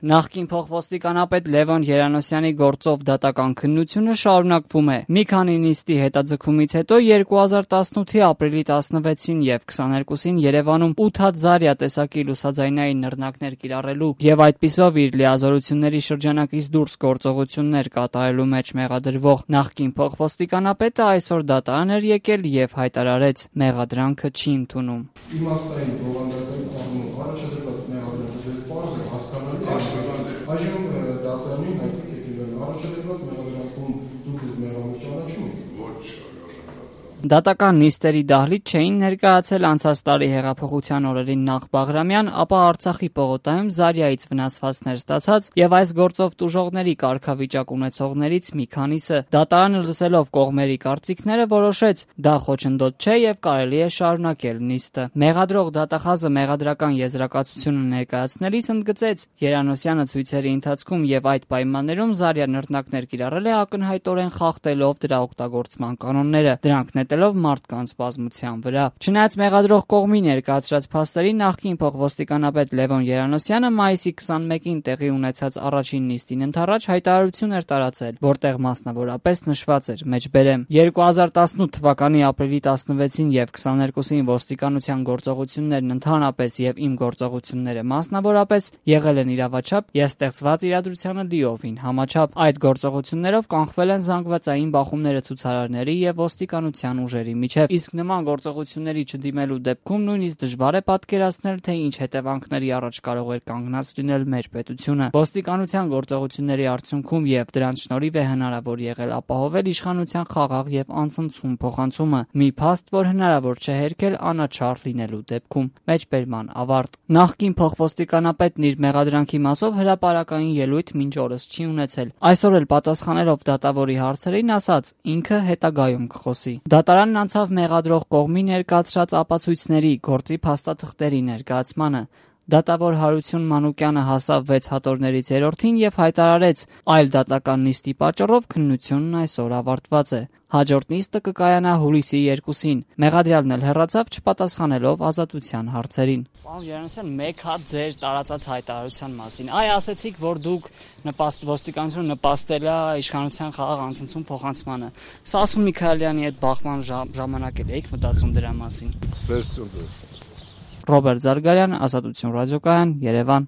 Նախկին փոխոստիկանապետ Լևոն Երանոսյանի գործով դատական քննությունը շարունակվում է։ Մի քանի նիստի հետաձգումից հետո 2018-ի ապրիլի 16-ին եւ 22-ին Երևանում 8 հատ Զարյա տեսակի լուսաձայնային նռնակներ կիրառելու եւ այդպիսով իր լիազորությունների շրջանակից դուրս գործողություններ կատարելու մեջ մեղադրվող նախկին փոխոստիկանապետը այսօր դատարան էր եկել եւ հայտարարեց՝ մեղադրանքը չի ընդունում։ Իմաստային բովանդակային առումով առաջադրված մեղադրանքը սպառս է հասկանալի Այժմ դատարանին հայտնի եկել առաջադրված մեղադրանքում դուք ձեզ մեղավոր ճանաչում եք։ Ոչ, Դատական նիստերի դահլիճ չէին ներկայացել անցած տարի հեղափոխության օրերին նախ Բաղրամյան, ապա Արցախի պողոտայում Զարյայից վնասվածքներ ստացած եւ այս գործով տուժողների կարգավիճակ ունեցողներից մի քանիսը։ Դատարանը լսելով կողմերի կարծիքները որոշեց՝ դա խոչընդոտ չէ եւ կարելի է շարունակել նիստը։ Մեղադրող դատախազը մեղադրական եզրակացությունը ներկայացնելիս ընդգծեց՝ Երանոսյանը ցույցերի ընթացքում եւ այդ պայմաններում Զարյա նռնակներ կիրառել է ակնհայտորեն խախտելով դրա օգտագործման կանոնները, դրանք նետելով մարդկանց բազմության վրա։ Չնայած մեղադրող կողմի ներկայացրած փաստերին նախկին փոխոստիկանապետ Լևոն Երանոսյանը մայիսի 21-ին տեղի ունեցած առաջին նիստին ընդառաջ հայտարարություն էր տարածել, որտեղ մասնավորապես նշված էր մեջբերեմ 2018 թվականի ապրիլի 16-ին եւ 22-ին ոստիկանության գործողություններն ընդհանրապես եւ իմ գործողությունները մասնավորապես եղել են իրավաչափ եւ ստեղծված իրադրությանը լիովին համաչափ։ Այդ գործողություններով կանխվել են զանգվածային բախումները ցուցարարների եւ ոստիկանության ուժերի միջև, իսկ նման գործողությունների չդիմելու դեպքում նույնիսկ դժվար է պատկերացնել, թե ինչ հետևանքների առաջ կարող էր կանգնած լինել մեր պետությունը։ Ոստիկանության գործողությունների արդյունքում եւ դրանց շնորհիվ է հնարավոր եղել ապահովել իշխանության խաղաղ եւ անցնցում փոխանցումը, մի փաստ, որ հնարավոր չէ հերքել անաչառ լինելու դեպքում։ Մեջբերման ավարտ։ Նախկին փոխոստիկանապետն իր մեղադրանքի մասով հրապարակային ելույթ մինչ օրս չի ունեցել։ Այսօր էլ պատասխանելով դատավորի հարցերին ասաց՝ ինքը հետագայում կխոսի։ Դատարանն անցավ մեղադրող կողմի ներկայացրած ապացույցների, գործի փաստաթղթերի ներկայացմանը։ Դատավոր Հարություն Մանուկյանը հասավ 6 հատորներից 3-ին եւ հայտարարեց՝ այլ դատական նիստի պատճառով քննությունն այսօր ավարտված է։ Հաջորդ նիստը կկայանա հուլիսի 2-ին։ Մեղադրյալն էլ հեռացավ չպատասխանելով ազատության հարցերին։ Պարոն Երանոսյան, մեկ հարց ձեր տարածած հայտարարության մասին։ Ասեցիք, որ դուք ոստիկանությունը նպաստել է իշխանության խաղաղ անցնցում փոխանցմանը։ Սասուն Միքայելյանի հետ բախման ժամանակ եք մտածում դրա մասին։ Ստեսություն։ Ռոբերտ Զարգարյան, Ազատություն ռադիոկայան, Երևան։